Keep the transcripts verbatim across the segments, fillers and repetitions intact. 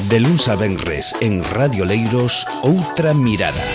De luns a venres en Radio Leiros, Outra Mirada.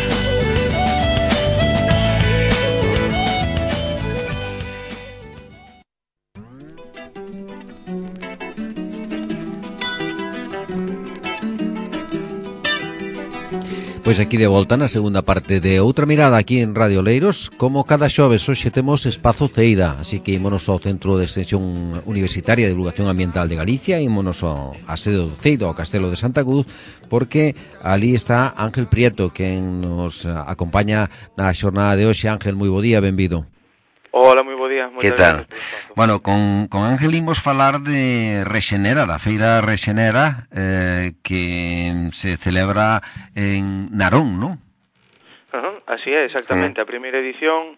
Pois aquí de volta na segunda parte de Outra Mirada aquí en Radio Leiros. Como cada xoves hoxe temos Espazo Ceira, así que ímonos ao Centro de Extensión Universitaria de Divulgación Ambiental de Galicia, ímonos ao a sede do Ceira, ao Castelo de Santa Cruz, porque ali está Ángel Prieto, quen nos acompaña na xornada de hoxe. Ángel, moi bo día, benvido. Hola, moi bo día. Que tal? Bueno, con, con Ángel imos falar de Rexenera, da feira Rexenera, eh, que se celebra en Narón, non? Uh-huh, así é, exactamente. Uh-huh. A primeira edición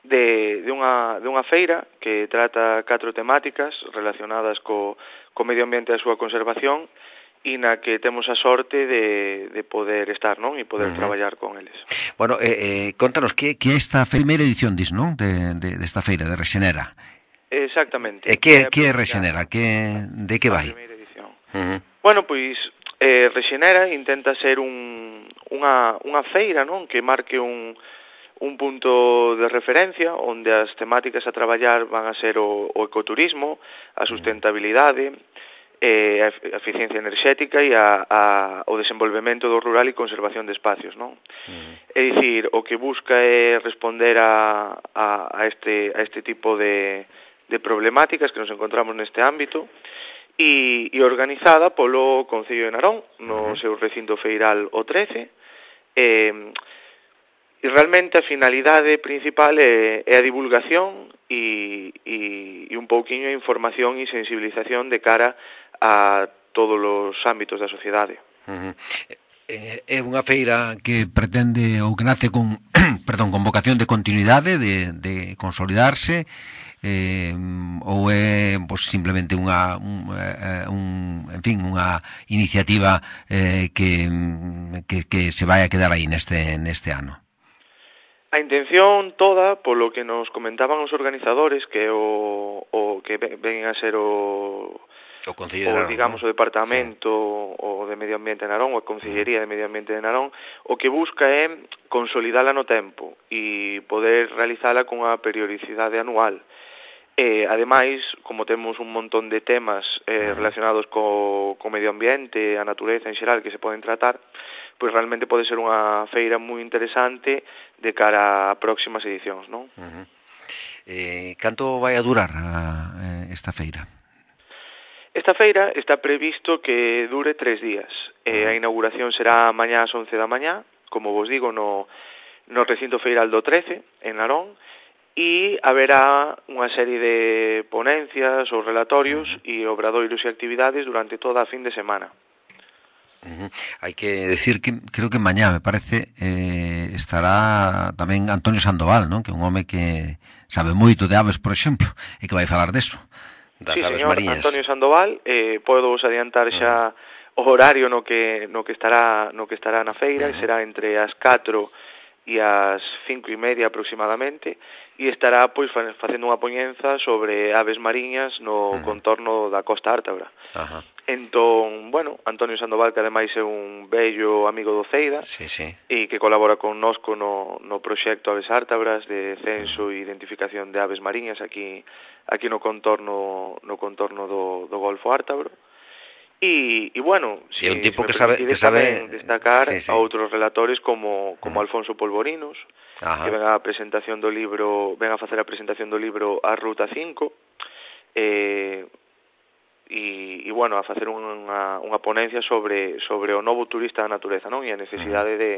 de, de, unha, de unha feira que trata catro temáticas relacionadas co, co medio ambiente e a súa conservación, e na que temos a sorte de, de poder estar, non? E poder uh-huh. traballar con eles. Bueno, eh, eh, contanos, que, que esta primeira edición, dis, non? De, de, de esta feira, de Rexenera. Exactamente. E que, que é Rexenera? Que, de que vai? A primeira edición. Uh-huh. Bueno, pois, eh, Rexenera intenta ser un, unha, unha feira, non? Que marque un, un punto de referencia onde as temáticas a traballar van a ser o, o ecoturismo, a sustentabilidade, eh, a eficiencia enerxética e a, a, o desenvolvemento do rural e conservación de espacios, non? Uh-huh. É dicir, o que busca é responder a, a, a, este, a este tipo de, de problemáticas que nos encontramos neste ámbito e, e organizada polo Concello de Narón no uh-huh. seu recinto feiral o trece. Eh, e realmente a finalidade principal é, é a divulgación e, e, e un pouquiño a información e sensibilización de cara a todos os ámbitos da sociedade. Uh-huh. É unha feira que pretende ou que nace con, perdón, con vocación de continuidade, de, de consolidarse, eh, ou é pues, simplemente unha un, un, en fin, unha iniciativa eh, que, que, que se vai a quedar aí neste, neste ano? A intención toda, polo que nos comentaban os organizadores, que o, o que ven a ser o o, Concello de Narón, o digamos, ¿no? O Departamento sí. o de Medio Ambiente de Narón, ou a Consellería de Medio Ambiente de Narón, o que busca é consolidala no tempo e poder realizala cunha periodicidade anual. E, ademais, como temos un montón de temas eh, relacionados co, co medio ambiente, a natureza en xeral que se poden tratar, pois realmente pode ser unha feira moi interesante de cara a próximas edicións, non? Uh-huh. Eh, canto vai a durar a, esta feira? Esta feira está previsto que dure tres días. Eh, a inauguración será mañá ás once da mañá, como vos digo, no, no recinto feiral do trece, en Narón, e haberá unha serie de ponencias ou relatorios e obradoiros e actividades durante toda a fin de semana. Uh-huh. Hai que decir que creo que mañá, me parece, eh, estará tamén Antonio Sandoval, non? Que é un home que sabe moito de aves, por exemplo, e que vai falar deso, das sí, aves señor, mariñas. Antonio Sandoval, eh, podo vos adiantar xa uh-huh. o horario no que no que estará no que estará na feira, uh-huh. que será entre as catro e as cinco e media aproximadamente, e estará pois facendo unha poñenza sobre aves mariñas no uh-huh. contorno da Costa Ártabra. Uh-huh. Entón, bueno, Antonio Sandoval, que ademais é un bello amigo do Ceida, sí, sí. e que colabora connosco no, no proxecto Aves Ártabras de censo uh-huh. e identificación de aves mariñas aquí aquí no contorno no contorno do, do Golfo Ártabro. E, e bueno, si, un tipo si que sabe, que sabe destacar sí, sí. a outros relatores como, como uh-huh. Alfonso Polvorinos, uh-huh. que ven a presentación do libro, ven a facer a presentación do libro A Ruta cinco, eh, e, e bueno, a facer unha, unha ponencia sobre sobre o novo turista da natureza, non? E a necesidade uh-huh. de,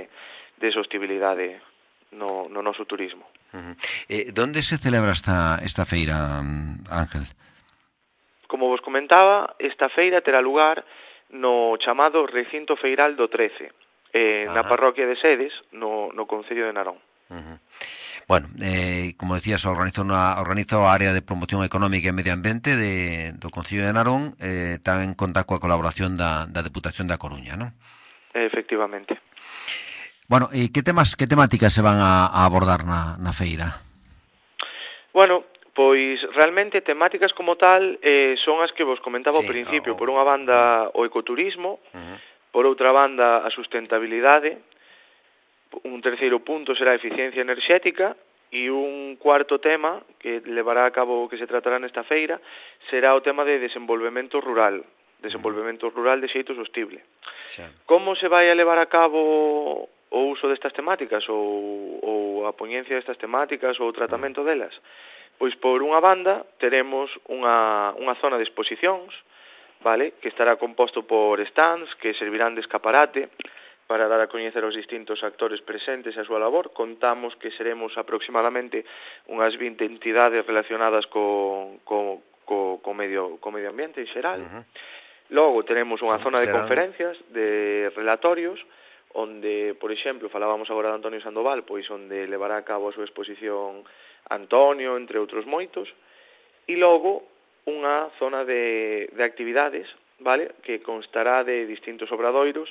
de sostibilidade no, no noso turismo. Uh-huh. Eh, donde se celebra esta, esta feira, Ángel? Como vos comentaba, esta feira terá lugar no chamado Recinto Feiral do trece, eh, na parroquia de Sedes, no, no Concello de Narón. Uh-huh. Bueno, eh, como decías, organiza unha organiza a área de promoción económica e medio ambiente de, do Concello de Narón, eh, tamén conta coa colaboración da, da Deputación da Coruña, non? Efectivamente. Bueno, e que temas, que temáticas se van a, a abordar na, na feira? Bueno, Pois realmente temáticas como tal eh, son as que vos comentaba sí, ao principio. o... Por unha banda o ecoturismo, uh-huh. Por outra banda a sustentabilidade, un terceiro punto será a eficiencia enerxética e un cuarto tema que levará a cabo que se tratará nesta feira será o tema de desenvolvemento rural, desenvolvemento uh-huh. rural de xeito sostible. Sí. Como se vai a levar a cabo o uso destas temáticas ou, ou a poñencia destas temáticas ou o tratamento uh-huh. delas? Pois por unha banda teremos unha, unha zona de exposicións, vale, que estará composto por stands que servirán de escaparate para dar a coñecer aos distintos actores presentes a súa labor. Contamos que seremos aproximadamente unhas vinte entidades relacionadas co, co, co, co, medio, co medio ambiente en xeral. Uh-huh. Logo tenemos unha sí, zona de serán... conferencias, de relatorios, onde, por exemplo, falábamos agora de Antonio Sandoval, pois onde levará a cabo a súa exposición Antonio, entre outros moitos, e logo unha zona de, de actividades, vale, que constará de distintos obradoiros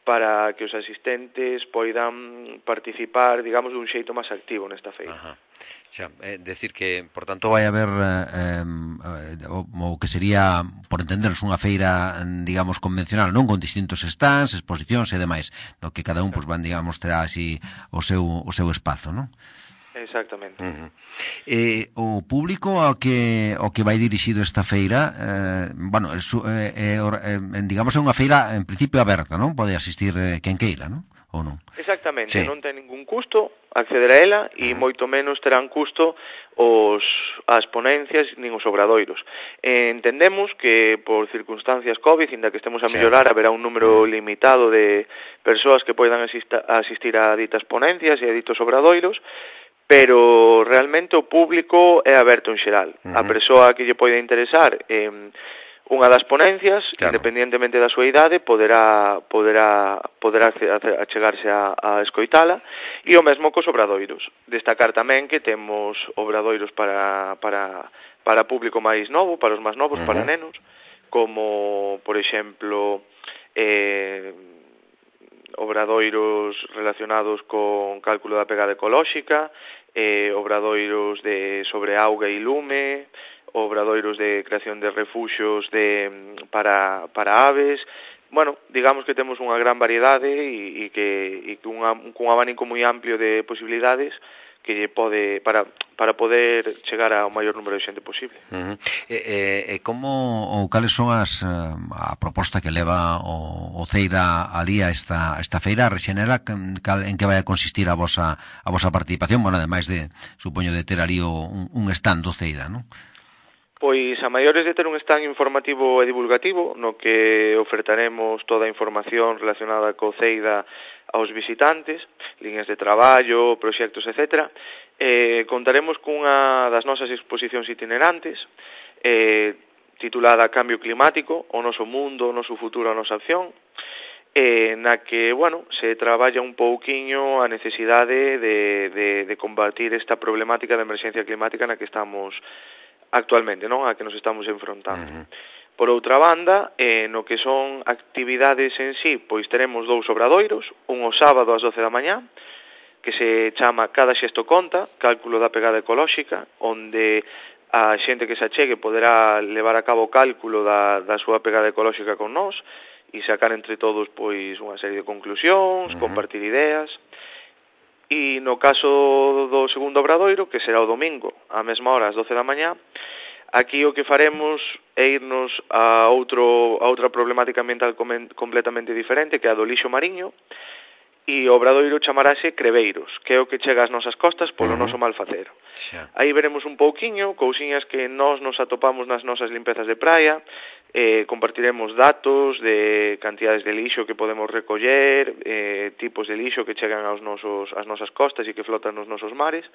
para que os asistentes poidan participar, digamos, dun xeito máis activo nesta feira. Ajá. Xa, é decir que, por tanto, vai haber eh, eh, o, o que sería, por entenderos, unha feira, digamos, convencional, non con distintos stands, exposicións e demais, no que cada un, pois, van, digamos, terá así o seu, o seu espazo, non? Exactamente. Uh-huh. Eh, o público ao que ao que vai dirixido esta feira, eh, bueno, é, é, é, digamos, é unha feira en principio aberta, non? Pode asistir eh, quen queira, non? Ou non? Exactamente, sí. Non ten ningún custo acceder a ela e uh-huh. moito menos terán custo os as ponencias nin os obradoiros. Eh, entendemos que por circunstancias COVID, inda que estemos a mellorar, sí. haberá un número uh-huh. limitado de persoas que poidan asista, asistir a ditas ponencias e a ditos obradoiros, pero realmente o público é aberto en xeral. Uh-huh. A persoa que lle poida interesar eh, unha das ponencias, claro. Independientemente da súa idade, poderá poderá poderá achegarse a, a escoitala, e o mesmo cos obradoiros. Destacar tamén que temos obradoiros para para para público máis novo, para os máis novos, uh-huh. para nenos, como, por exemplo, eh obradoiros relacionados con cálculo da pegada ecolóxica, eh, obradoiros de sobre auga e lume, obradoiros de creación de refuxios de, para, para aves. Bueno, digamos que temos unha gran variedade e, e que e cunha, cun abanico moi amplio de posibilidades que lle pode para para poder chegar ao maior número de xente posible. Uh-huh. E, e, e como ou cales son as a proposta que leva o, o Ceida alí a esta esta feira rexenera, cal, en que vai a consistir a vosa a vosa participación, bueno, ademais de supoño de ter ali o, un, un stand do Ceida, non? Pois a maiores de ter un stand informativo e divulgativo no que ofertaremos toda a información relacionada co Ceida aos visitantes, líneas de traballo, proxectos, etcétera. Eh, contaremos cunha das nosas exposicións itinerantes, eh, titulada Cambio Climático, o noso mundo, o noso futuro, a nosa acción, eh, na que, bueno, se traballa un pouquiño a necesidade de, de, de combatir esta problemática de emerxencia climática na que estamos actualmente, non? A que nos estamos enfrontando. Uh-huh. Por outra banda, eh, no que son actividades en sí, pois teremos dous obradoiros, un o sábado ás doce da mañá, que se chama Cada xesto conta, cálculo da pegada ecolóxica, onde a xente que se achegue poderá levar a cabo o cálculo da, da súa pegada ecolóxica con nós e sacar entre todos pois unha serie de conclusións, uh-huh. compartir ideas. E no caso do segundo obradoiro, que será o domingo, á mesma hora, ás doce da mañá, aquí o que faremos é irnos a outro a outra problemática ambiental completamente diferente, que é a do lixo mariño, e o obradoiro chamarase Creveiros, que é o que chega ás nosas costas polo uh-huh. noso malfacer. Xa. Aí veremos un pouquiño, cousiñas que nós nos atopamos nas nosas limpezas de praia, eh, compartiremos datos de cantidades de lixo que podemos recoller, eh, tipos de lixo que chegan aos nosos, ás nosas costas e que flotan nos nosos mares,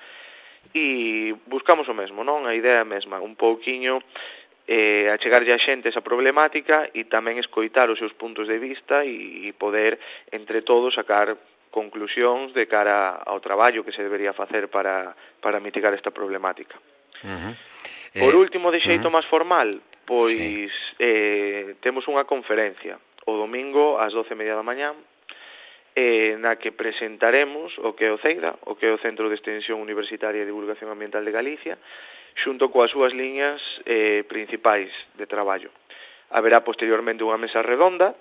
e buscamos o mesmo, non? A idea é a mesma, un pouquiño eh, achegarlle a xente esa problemática e tamén escoitar os seus puntos de vista e, e poder, entre todos, sacar conclusións de cara ao traballo que se debería facer para, para mitigar esta problemática. Uh-huh. Por eh, último, de xeito uh-huh. máis formal, pois sí. eh, temos unha conferencia o domingo ás doce e media da mañá, eh, na que presentaremos o que é o CEIDA, o que é o Centro de Extensión Universitaria e Divulgación Ambiental de Galicia, xunto coas súas liñas eh, principais de traballo. Haberá posteriormente unha mesa redonda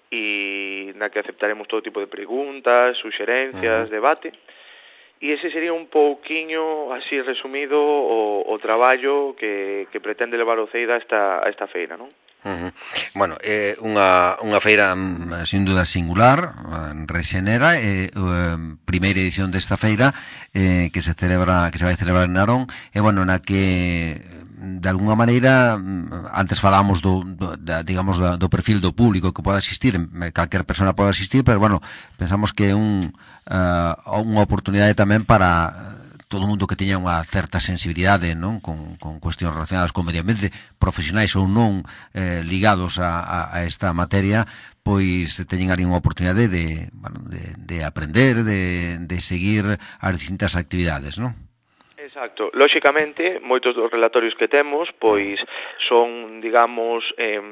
e na que aceptaremos todo tipo de preguntas, suxerencias, uh-huh. debate. E ese sería un pouquiño, así resumido, o, o traballo que, que pretende levar o CEIDA a esta, a esta feira, non? Uh-huh. Bueno, é eh, unha, unha feira sin duda singular, Rexenera, é eh, eh, primeira edición desta feira eh, que se celebra, que se vai celebrar en Narón, e bueno, na que de alguna maneira antes falábamos do, do da, digamos do, do perfil do público que pode asistir, calquer persona pode asistir, pero bueno, pensamos que é un uh, unha oportunidade tamén para todo o mundo que teña unha certa sensibilidade, non, con, con cuestións relacionadas con o medio ambiente, profesionais ou non eh, ligados a, a, a esta materia, pois teñen ali unha oportunidade de, bueno, de, de aprender, de, de seguir as distintas actividades, non? Exacto. Lóxicamente, moitos dos relatorios que temos, pois son, digamos, eh,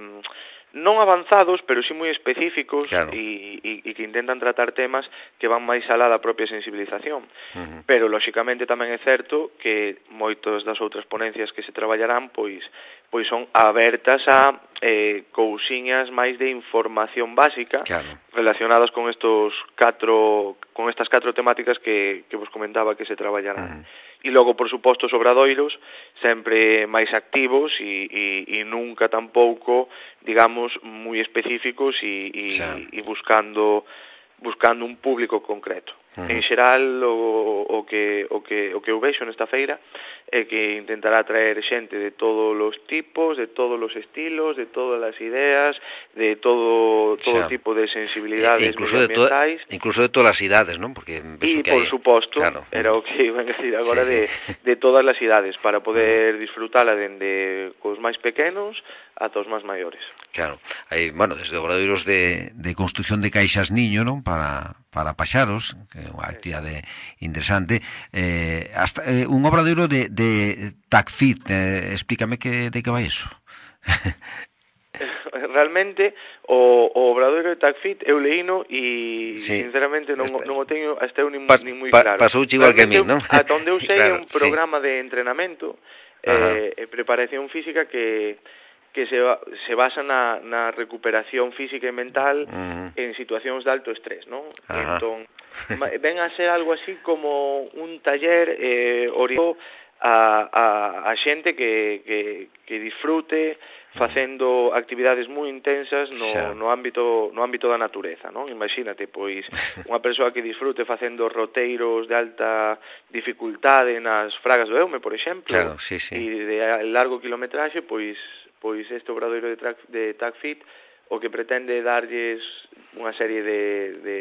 non avanzados, pero sí moi específicos, claro. e, e, e que intentan tratar temas que van máis alá da propia sensibilización. Uh-huh. Pero, lóxicamente, tamén é certo que moitas das outras ponencias que se traballarán, pois, pois son abertas a eh, cousiñas máis de información básica, claro. relacionadas con estos catro, con estas catro temáticas que, que vos comentaba que se traballarán. Uh-huh. E logo, por suposto, os obradoiros sempre máis activos e, e, e nunca tampouco, digamos, moi específicos e, e, e buscando buscando un público concreto. Uh-huh. En xeral, o, o, que, o, que, o que eu vexo nesta feira é que intentará traer xente de todos os tipos, de todos os estilos, de todas as ideas, de todo todo xa. tipo de sensibilidades e incluso medioambientais. De to, incluso de todas as idades, non? Porque e, por hay... suposto, claro. era o que iban a decir agora, sí, sí. de, de todas as idades, para poder disfrutala dende cos máis pequenos ata os máis maiores. Claro, hai, bueno, desde obradoiros de, de construcción de caixas niño, non? Para, para paxaros, que é unha actividade interesante, eh, hasta eh, un obradoiro de, de TACFIT, eh, explícame que, de que vai iso. Realmente, o, o obradoiro de TACFIT eu leíno e, sí. sinceramente, non, Esta... non o teño hasta eu nin, pa, nin moi pa, claro. Pasouche igual que a mí, non? Ata onde eu sei, claro, é un programa sí. de entrenamento e eh, preparación física que que se, se basa na, na recuperación física e mental uh-huh. en situacións de alto estrés, non? Uh-huh. Entón, ven a ser algo así como un taller eh, orientado a, a, a xente que, que, que disfrute facendo actividades moi intensas no, no ámbito no ámbito da natureza, non? Imagínate, pois, unha persoa que disfrute facendo roteiros de alta dificultade nas Fragas do Eume, por exemplo, claro, sí, sí. e de largo kilometraxe, pois pois este obradoiro de, de TACFIT o que pretende darlles unha serie de, de,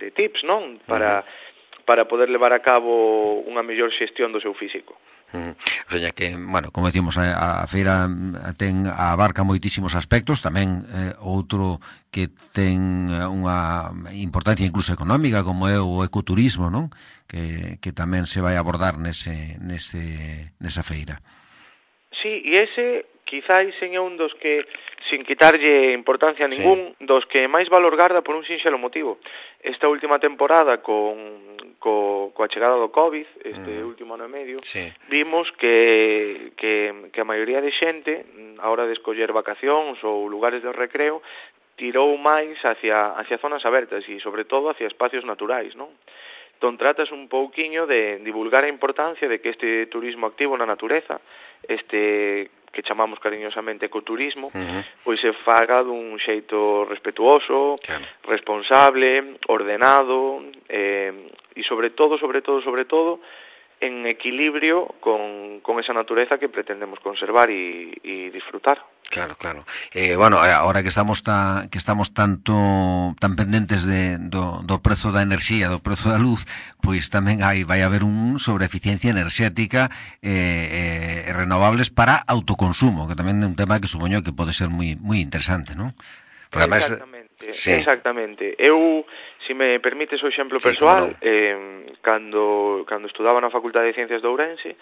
de tips, non? Para, uh-huh. para poder levar a cabo unha mellor xestión do seu físico. Uh-huh. O sea, que, bueno, como decimos, a, a feira ten abarca moitísimos aspectos, tamén eh, outro que ten unha importancia incluso económica, como é o ecoturismo, non? Que, que tamén se vai abordar nese, nese, nesa feira. Sí, e ese quizáis é un dos que, sin quitarlle importancia a ningún, sí. dos que máis valor garda por un sinxelo motivo. Esta última temporada, con, co, coa chegada do COVID, este mm. último ano e medio, sí. vimos que, que, que a maioría de xente, a hora de escoller vacacións ou lugares de recreo, tirou máis hacia, hacia zonas abertas e, sobre todo, hacia espacios naturais, non? Entón, tratas un pouquiño de divulgar a importancia de que este turismo activo na natureza, este que chamamos cariñosamente ecoturismo, uh-huh. pois se faga dun xeito respetuoso, claro. responsable, ordenado, eh, e sobre todo, sobre todo, sobre todo, en equilibrio con, con esa natureza que pretendemos conservar e, e disfrutar. Claro, claro. Eh, bueno, ahora que estamos ta, que estamos tanto tan pendentes de do, do prezo da enerxía, do prezo da luz, pois tamén hai vai haber un sobre eficiencia enerxética eh, eh, renovables para autoconsumo, que tamén é un tema que supoño que pode ser moi moi interesante, non? Porque además, exactamente, sí. exactamente. Eu, se me permites o exemplo sí, persoal, no. eh, cando, cando estudaba na Facultade de Ciencias de Ourense,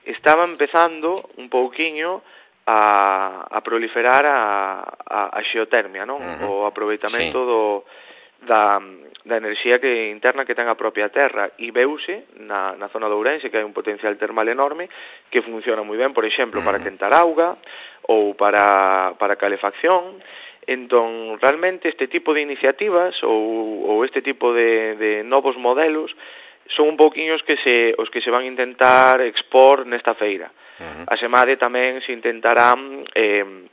estaba empezando un pouquiño a, a proliferar a, a, a xeotermia, non? Uh-huh. O aproveitamento sí. do, da, da enerxía que interna que ten a propia terra, e veuse na, na zona de Ourense que hai un potencial termal enorme que funciona moi ben, por exemplo, para quentar auga ou para, para calefacción. Entón, realmente este tipo de iniciativas ou, ou este tipo de, de novos modelos son un pouquiño os que se, os que se van intentar expor nesta feira. Uh-huh. A semade tamén se intentarán eh,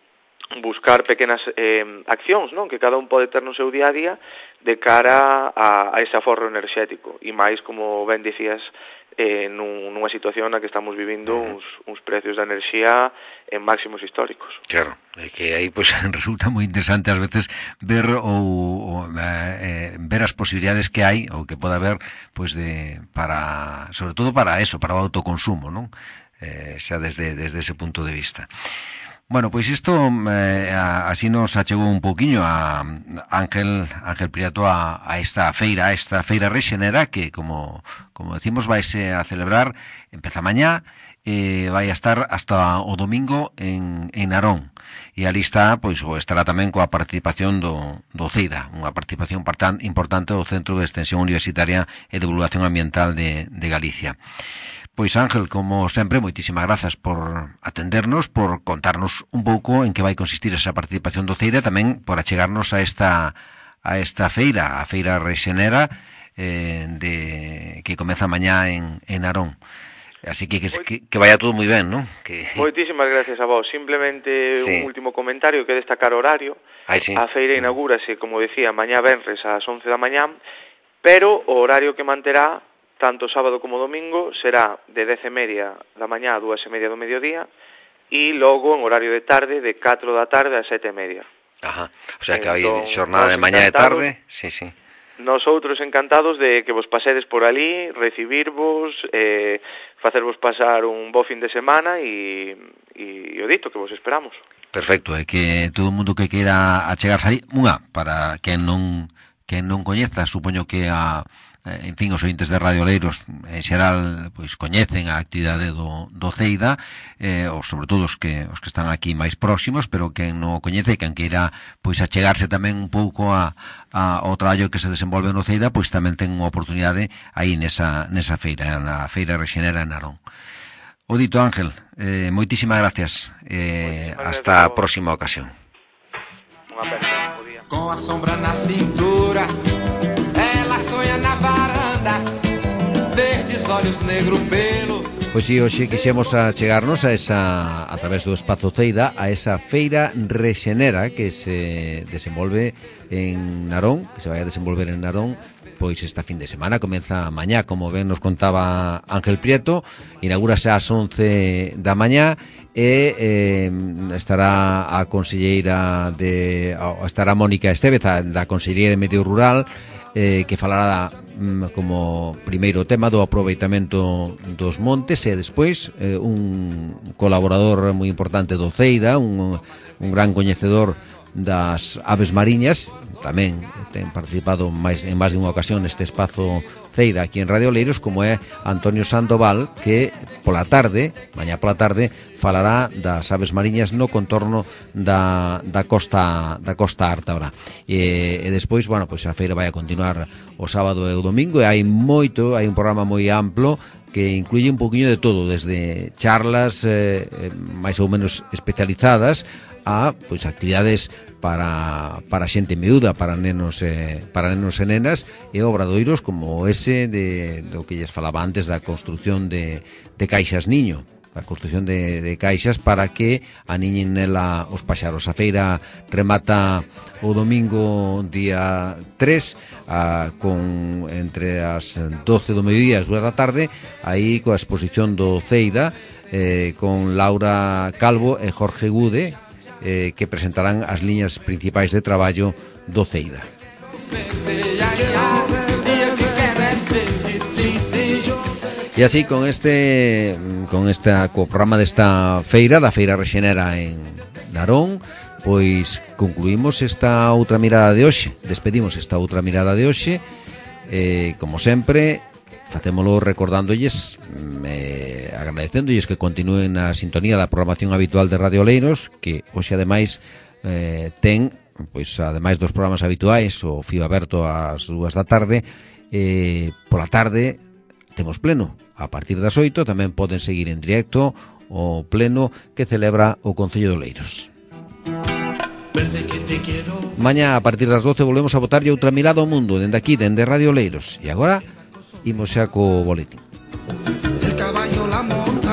buscar pequenas eh, accións, non, que cada un pode ter no seu día a día de cara a, a ese aforro enerxético, e máis, como ben dicías, eh, nun, nunha situación na que estamos vivindo uh-huh. uns, uns precios de enerxía en máximos históricos. Claro, é que aí pues, resulta moi interesante ás veces ver ou, ou eh, ver as posibilidades que hai ou que pode haber pues, de, para, sobre todo para eso, para o autoconsumo, non? Eh, xa desde, desde ese punto de vista. Bueno, pois isto eh, así nos achegou un poquinho a Ángel Ángel Prieto a, a esta feira, a esta feira Rexenera que, como como decimos, vaise a celebrar, empeza mañá, eh, vai a estar hasta o domingo en, en Narón. E ali está, pois, o estará tamén coa participación do, do CEIDA, unha participación importante do Centro de Extensión Universitaria e Divulgación Ambiental de, de Galicia. Pois Ángel, como sempre, moitísimas grazas por atendernos, por contarnos un pouco en que vai consistir esa participación do CEIDA, tamén por achegarnos a esta a esta feira, a feira Rexenera eh, de que comeza mañá en, en Narón. Así que, que que vaya todo moi ben, non? Que... Moitísimas gracias a vos. Simplemente sí. Un último comentario que destacar horario. Ay, sí. A feira inaugúrase, como decía, mañá venres ás once da mañá, pero o horario que manterá tanto sábado como domingo será de dez e media da mañá a dúas e media do mediodía e logo en horario de tarde de catro da tarde a sete e media. Ajá, o sea que hai xornada de mañá e tarde. Sí, sí. Nosotros encantados de que vos pasedes por ali, recibirvos, eh, facervos pasar un bo fin de semana e, e o dito que vos esperamos. Perfecto, é que todo o mundo que queira achegarse ali, unha, para quen non, quen non coñeza, supoño que a en fin, os ointes de Radio Oleiros en xeral pois coñecen a actividade do, do CEIDA, eh, ou sobre todo os que os que están aquí máis próximos, pero quen non o coñece, quen queira pois achegarse tamén un pouco a, a ao traballo que se desenvolve no CEIDA, pois tamén ten unha oportunidade aí nesa nesa feira, na feira Rexenera en Narón. O dito, Ángel, eh, moitísimas gracias. Eh, moitísimas hasta gracias a próxima ocasión. Unha pena, bo día. Con a sombra na cintura, ela sonha na varanda, verdes olhos negro pelo. Pois si, hoxe quixemos achegarnos a esa, a través do Espazo CEIDA, a esa feira Rexenera que se desenvolve en Narón, que se vai a desenvolver en Narón, pois esta fin de semana, comeza mañá, como ben nos contaba Ángel Prieto, inaugúrase ás once da mañá e eh, estará a conselleira de estará Mónica Estévez da Consellería de Medio Rural, eh, que falará mm, como primeiro tema do aproveitamento dos montes e despois eh, un colaborador moi importante do CEIDA, un, un gran coñecedor das aves mariñas, tamén ten participado máis, en máis de unha ocasión neste espazo CEIDA aquí en Radio Oleiros, como é Antonio Sandoval, que pola tarde, mañá pola tarde, falará das aves mariñas no contorno da, da costa da costa ártabra. E, e despois, bueno, pois a feira vai a continuar o sábado e o domingo, e hai moito, hai un programa moi amplo que incluye un poquinho de todo, desde charlas eh, máis ou menos especializadas a pois actividades para para xente miúda, para nenos e para nenos e nenas, e obradoiros como ese de do que lles falaba antes da construción de de caixas niño, a construción de, de caixas para que aniñen nela os paxaros. A feira remata o domingo día tres a, con entre as doce do mediodía e as dúas da tarde, aí coa exposición do CEIDA eh, con Laura Calvo e Jorge Gude, eh, que presentarán as liñas principais de traballo do CEIDA. E así con este con esta co programa desta feira, da Feira Rexenera en Narón, pois concluímos esta outra mirada de hoxe, despedimos esta outra mirada de hoxe, eh, como sempre, facémolo recordándolles, eh, agradecéndolles que continúen na sintonía da programación habitual de Radio Oleiros, que hoxe ademais eh, ten pois ademais dos programas habituais, o Fío Aberto ás dúas da tarde, eh, pola tarde temos pleno. A partir das oito tamén poden seguir en directo o pleno que celebra o Concello de Oleiros. Mañá a partir das doce volvemos a botarlle outra mirada ao mundo dende aquí, dende Radio Oleiros. E agora imos xa co boletín. El caballo, la monta.